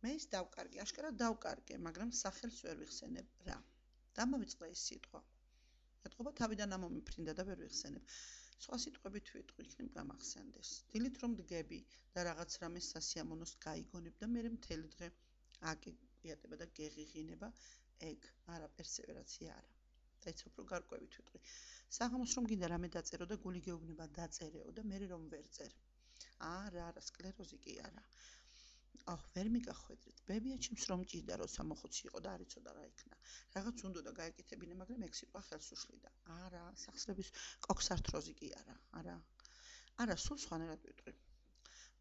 მე ის დავკარგე, აშკარად დავკარგე, მაგრამ სახელს ვერ ვიხსენებ რა. დამავიწყდა ეს სიტყვა. ეტყობა თავიდან ამომიფრინდა და ვერ ვიხსენებ. სხვა სიტყვებით ვიტყვი, იქნებ გამახსენდეს. დილით რომ დგები და რაღაც რამეს სასიამოვნოს გაიგონებ და მე მთელი დღე აკიატება და გეღიღინება, ეგ არა პერსევერაცია არა. დაიცავ რო გარკვევით ვიტყვი. საღამოს რომ გინდა რამე დაწერო და გული გეუბნება დაწერეო და მე რომ ვერ წერ. არა, სკლეროზი კი არა. ვერ მიგახვედრით. ბებია ჩემს რომ ჭირდა, როცა მოხუცი იყო და არ იცოდა რა იქნა. რაღაც უნდა და გაეკეთებინა, მაგრამ ეგ სიტყვა ხელს უშლიდა. არა, სახსრების კოქსართროზი კი არა. არა, სულ სხვანაირად ვიტყვი.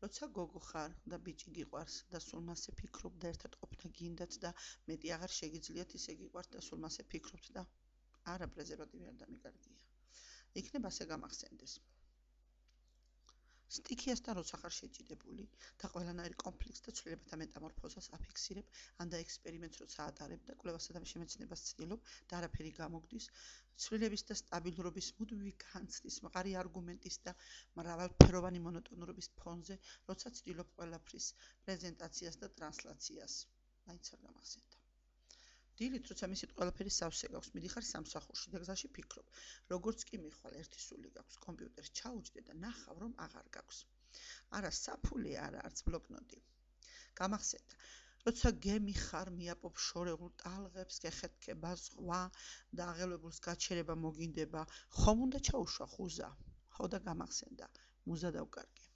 როცა გოგო ხარ და ბიჭი გიყვარს და სულ მასე ფიქრობ და ერთად ყოფნა გინდათ და მეტი აღარ შეგიძლიათ ისე გიყვართ და სულ მასე ფიქრობთ და არა პრეზერვატივი არ დამიკარგია. იქნებ ასე გამახსენდეს. სტიქიასთან როცა ხარ შეჯიდებული და ყველანაირი კონფლიქტს და ცვლილებათა მეტამორფოზას აფიქსირებ, ან და ექსპერიმენტს როცა ატარებ და კვლევასა და შემეცნებას ცდილობ და არაფერი გამოგდის, ცვლილების და სტაბილურობის მუდმივი განცდის, მყარი არგუმენტის და მრავალფეროვანი მონოტონურობის ფონზე, როცა ცდილობ ყველაფრის პრეზენტაციას და ტრანსლაციას. მაინც არ გამახსენდა. დილით, როცა მისით ყველაფერი სავსე გაქვს, მიდიხარ სამსახურში და გზაში ფიქრობ, როგორც კი მიხვალ ერთი სული გაქვს, კომპიუტერს ჩაუჯდე და ნახავ, რომ აღარ გაქვს. არა საფული, არა არც ბლოკნოტი. გამახსენდა, როცა გემი ხარ, მიაპობ შორეულ ტალღებს, გეხეთქება ზღვა და აღელვებულს გაჩერება მოგინდება, ხომ უნდა ჩაუშვა ხუზა? ხო და გამახსენდა, მუზა დავკარგე.